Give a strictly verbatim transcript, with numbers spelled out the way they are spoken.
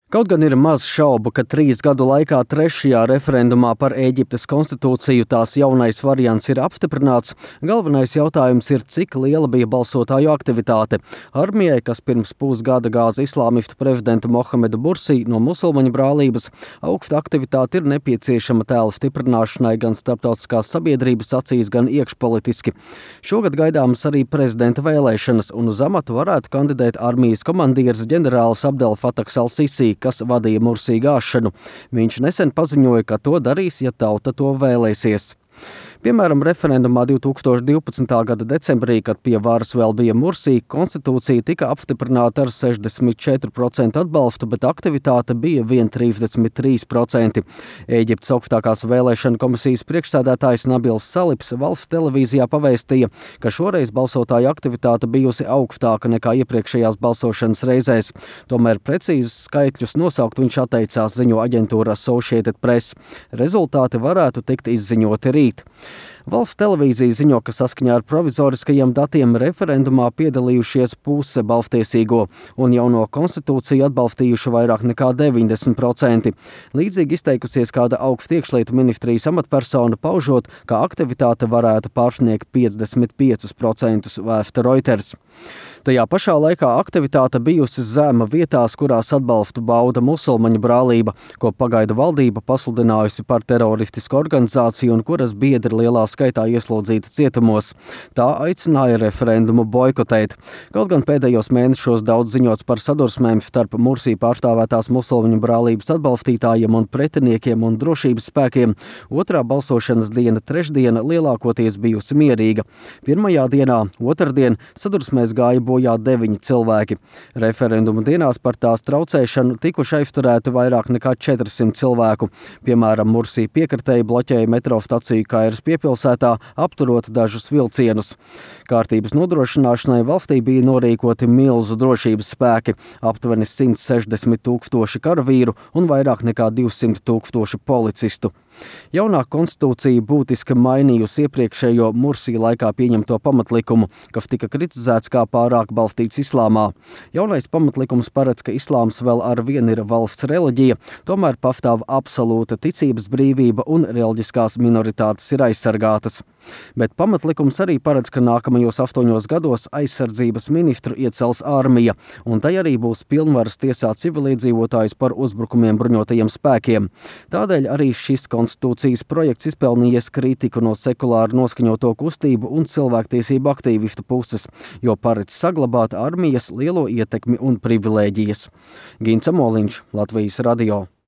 Kaut gan ir maz šaubu, ka trīs gadu laikā trešajā referendumā par Ēģiptes konstitūciju tās jaunais variants ir apstiprināts, galvenais jautājums ir, cik liela bija balsotāju aktivitāte. Armijai, kas pirms pusgada gāza islāmistu prezidentu Mohamedu Bursī no musulmaņu brālības, augsta aktivitāte ir nepieciešama tēla stiprināšanai gan starptautiskās sabiedrības acīs, gan iekšpolitiski. Šogad gaidāmas arī prezidenta vēlēšanas, un uz amatu varētu kandidēt armijas komandieris ģenerālis Abdel Fatahs al-Sisi, kas vadīja Mursī gāšanu. Viņš nesen paziņoja, ka to darīs, ja tauta to vēlēsies. Piemēram, referendumā divi tūkstoši divpadsmitā gada decembrī, kad pie varas vēl bija Mursī, konstitūcija tika apstiprināta ar sešdesmit četru procentu atbalstu, bet aktivitāte bija vien trīsdesmit trīs procenti. Ēģiptes augstākās vēlēšana komisijas priekšsēdētājs Nabils Salips valsts televīzijā pavēstīja, ka šoreiz balsotāju aktivitāte bijusi augstāka nekā iepriekšējās balsošanas reizēs. Tomēr precīzus skaitļus nosaukt viņš atteicās, ziņo aģentūra Associated Press. Rezultāti varētu tikt izziņoti rīt. Valsts televīzija ziņo, ka saskaņā ar provizoriskajiem datiem referendumā piedalījušies puse balstiesīgo un jauno konstitūciju atbalstījuši vairāk nekā deviņdesmit procenti. Līdzīgi izteikusies kāda augsta iekšlietu ministrijas amatpersona, paužot, ka aktivitāte varētu pārsniegt piecdesmit piecus procentus, vēsta Reuters. Tajā pašā laikā aktivitāte bijusi zema vietās, kurās atbalstu bauda musulmaņu brālība, ko pagaidu valdība pasludinājusi par teroristisku organizāciju un kuras biedri lielā skaitā ieslodzīti cietumos. Tā aicināja referendumu boikotēt. Kaut gan pēdējos mēnešos daudz ziņots par sadursmēm starp Mursī pārstāvētās musulmaņu brālības atbalstītājiem un pretiniekiem un drošības spēkiem, otrā balsošanas diena trešdiena lielākoties bijusi mierīga. Pirmajā dienā, otrdien, sadursmēs gāja bojā deviņi cilvēki. Referendumu dienās par tās traucēšanu tikuši aizturēti vairāk nekā četrsimt cilvēku. Piemēram, Mursī piekritēji bloķēja metro staciju Kairas piepilsētā, apturot dažus vilcienus. Kārtības nodrošināšanai valstī bija norīkoti milzu drošības spēki, aptuveni simt sešdesmit tūkstoši karavīru un vairāk nekā divsimt tūkstoši policistu. Jaunā konstitūcija būtiski mainījusi iepriekšējo Mursī laikā pieņemto pamatlikumu, kas tika kritizēts kā pārāk balstīts islāmā. Jaunais pamatlikums paredz, ka islāms vēl ar vienu ir valsts reliģija, tomēr pastāv absolūta ticības brīvība un reliģiskās minoritātes ir aizsargātas. Bet pamatlikums arī paredz, ka nākamajos astoņos gados aizsardzības ministru iecels armija, un tai arī būs pilnvaras tiesāt civiliedzīvotājus par uzbrukumiem bruņotajiem spēkiem. Tādēļ arī šis konstitūcijas projekts izpelnījies kritiku no sekulāri noskaņoto kustību un cilvēktiesību aktīvistu puses, jo paredz saglabāt armijas lielo ietekmi un privilēģijas. Gints Amoliņš, Latvijas radio.